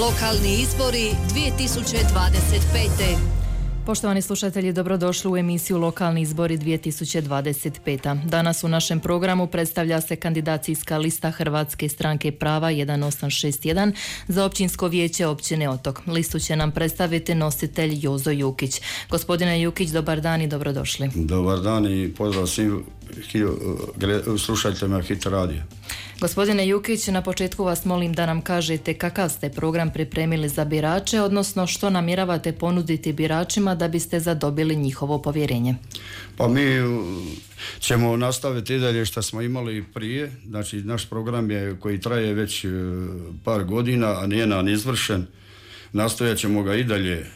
Lokalni izbori 2025. Poštovani slušatelji, dobrodošli u emisiju Lokalni izbori 2025. Danas u našem programu predstavlja se kandidacijska lista Hrvatske stranke prava 1861 za općinsko vijeće općine Otok. Listu će nam predstaviti nositelj Jozo Jukić. Gospodine Jukić, dobar dan i dobrodošli. Dobar dan i pozdrav svim slušateljima Hit radija. Gospodine Jukić, na početku vas molim da nam kažete kakav ste program pripremili za birače, odnosno što namjeravate ponuditi biračima da biste zadobili njihovo povjerenje. Pa mi ćemo nastaviti i dalje što smo imali prije. Znači, naš program je koji traje već par godina, a nije nam izvršen. Nastojat ćemo ga i dalje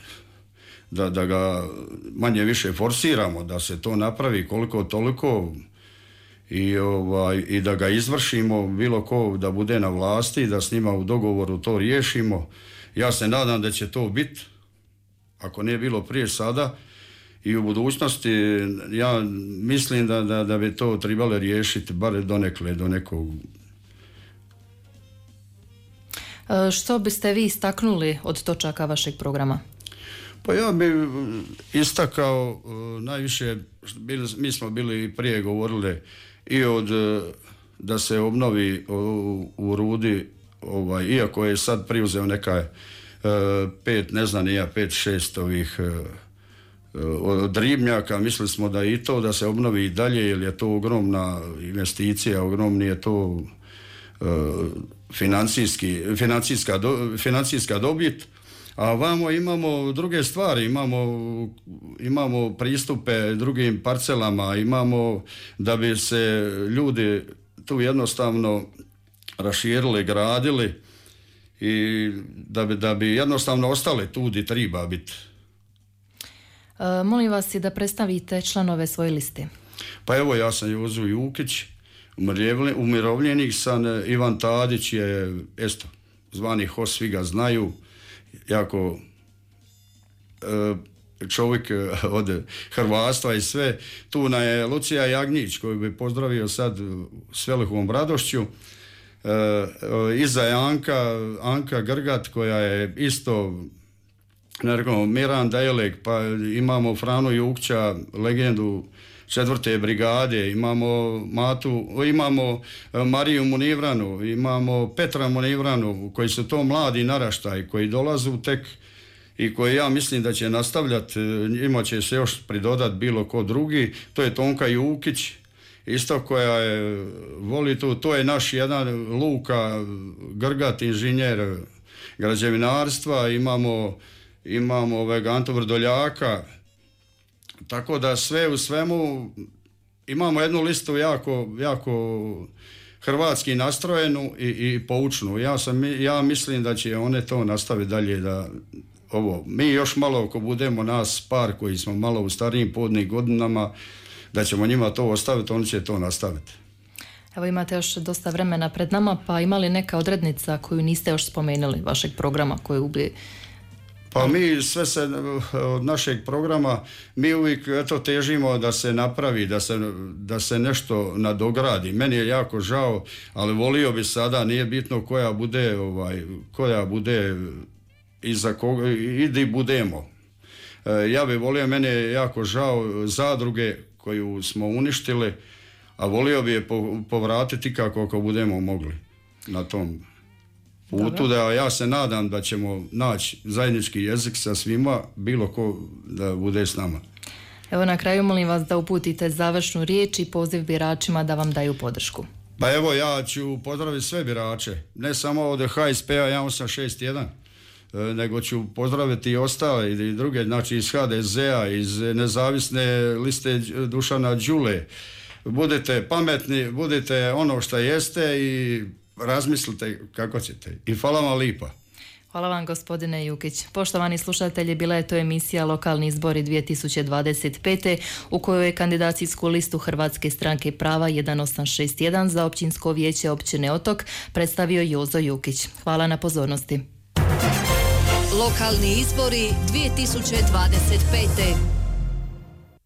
da ga manje više forsiramo, da se to napravi koliko toliko i da ga izvršimo, bilo ko da bude na vlasti, da s njima u dogovoru to riješimo. Ja se nadam da će to biti, ako nije bilo prije sada i u budućnosti. Ja mislim da bi to trebalo riješiti bar donekle, do nekog. Što biste vi istaknuli od točaka vašeg programa? Pa ja bih istakao najviše, mi smo bili prije govorili i da se obnovi u Rudi, iako je sad preuzeo neka 5-6 ovih od ribnjaka, mislili smo da i to da se obnovi i dalje, jer je to ogromna investicija, ogromni je to financijska dobit. A vamo imamo druge stvari, imamo pristupe drugim parcelama, imamo da bi se ljudi tu jednostavno raširili, gradili i da bi jednostavno ostali tu gdje treba biti. Molim vas i da predstavite članove svoje liste. Pa evo, ja sam Jozo Jukić, umirovljenik sam. Ivan Tadić je zvani Hos, svi ga znaju, jako čovjek od hrvatstva i sve. Tu je Lucija Jagnjić, koju bi pozdravio sad s velikom radošću. Iza je Anka Grgat, koja je isto Miran Dajlek, pa imamo Franu Jukća, legendu 4. brigade, imamo Mariju Munivranu, imamo Petra Munivranu, koji su to mladi naraštaj, koji dolazu tek i koji ja mislim da će nastavljati, ima će se još pridodati bilo ko drugi. To je Tonka Jukić, isto koja voli to je naš jedan Luka Grgat, inženjer građevinarstva, imamo Antu Vrdoljaka. Tako da sve u svemu imamo jednu listu jako hrvatski nastrojenu i poučnu. Ja mislim da će one to nastaviti dalje, mi još malo, ako budemo nas par koji smo malo u starijim podnim godinama, da ćemo njima to ostaviti, oni će to nastaviti. Evo, imate još dosta vremena pred nama, pa ima li neka odrednica koju niste još spomenuli vašeg programa koju bi... Pa mi sve se od našeg programa, mi uvijek težimo da se napravi, da se nešto nadogradi. Meni je jako žao, ali volio bi sada, nije bitno koja bude iza koga i di budemo. Ja bi volio, meni je jako žao zadruge koju smo uništili, a volio bi je povratiti kako budemo mogli na tom putu. Da ja se nadam da ćemo naći zajednički jezik sa svima, bilo ko da bude s nama. Evo, na kraju molim vas da uputite završnu riječ i poziv biračima da vam daju podršku. Pa evo, ja ću pozdraviti sve birače, ne samo od HSP-a 1861, nego ću pozdraviti i ostale i druge, znači iz HDZ-a, iz nezavisne liste Dušana Đule. Budite pametni, budite ono što jeste i razmislite kako ćete. I hvala vam lipa. Hvala vam, gospodine Jukić. Poštovani slušatelji, bila je to emisija Lokalni izbori 2025. u kojoj je kandidacijsku listu Hrvatske stranke prava 1861 za općinsko vijeće općine Otok predstavio Jozo Jukić. Hvala na pozornosti. Lokalni izbori 2025.